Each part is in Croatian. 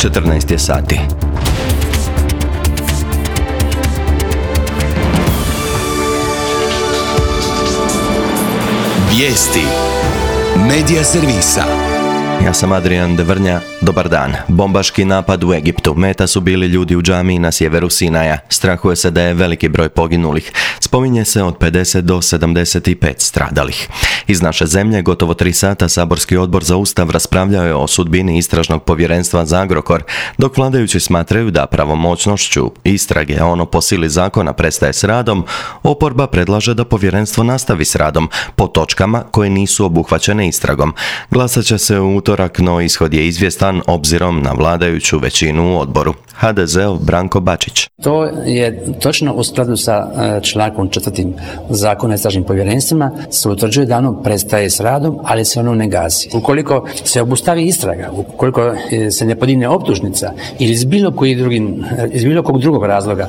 14 je sati. Vijesti Medija servisa. Ja sam Adrian Devrnja, dobar dan. Bombaški napad u Egiptu. Meta su bili ljudi u džamiji na sjeveru Sinaja. Strahuje se da je veliki broj poginulih. Spominje se od 50 do 75 stradalih. Iz naše zemlje gotovo 3 sata saborski odbor za Ustav raspravljao je o sudbini istražnog povjerenstva za Agrokor, dok vladajući smatraju da pravomoćnošću istrage ono po sili zakona prestaje s radom, oporba predlaže da povjerenstvo nastavi s radom po točkama koje nisu obuhvaćene istragom. Glasat će se u utorak, no ishod je izvjestan obzirom na vladajuću većinu u odboru. HDZ-ov Branko Bačić. To je točno u skladu sa člankom 4. Zakona o istražnim povjerenstvima se utvrđuje da ono prestaje s radom, ali se ono ne gasi. Ukoliko se obustavi istraga, ukoliko se ne podigne optužnica ili iz bilo kog drugog razloga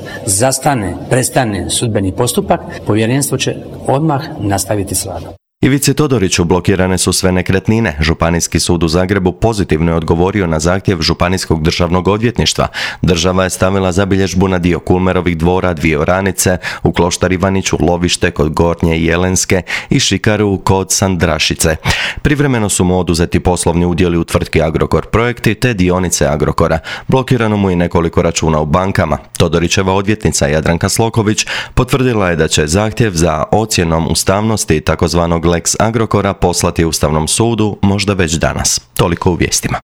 prestane sudbeni postupak, povjerenstvo će odmah nastaviti s radom. Ivici Todoriću blokirane su sve nekretnine. Županijski sud u Zagrebu pozitivno je odgovorio na zahtjev Županijskog državnog odvjetništva. Država je stavila zabilježbu na dio Kulmerovih dvora, 2 oranice, u Kloštar Ivaniću, lovište kod Gornje Jelenske i šikaru kod Sandrašice. Privremeno su mu oduzeti poslovni udjeli u tvrtki Agrokor Projekti te dionice Agrokora. Blokirano mu i nekoliko računa u bankama. Todorićeva odvjetnica Jadranka Sloković potvrdila je da će zahtjev za ocjenom ustavnosti takozvanog Lex Agrokora poslati Ustavnom sudu možda već danas. Toliko u vijestima.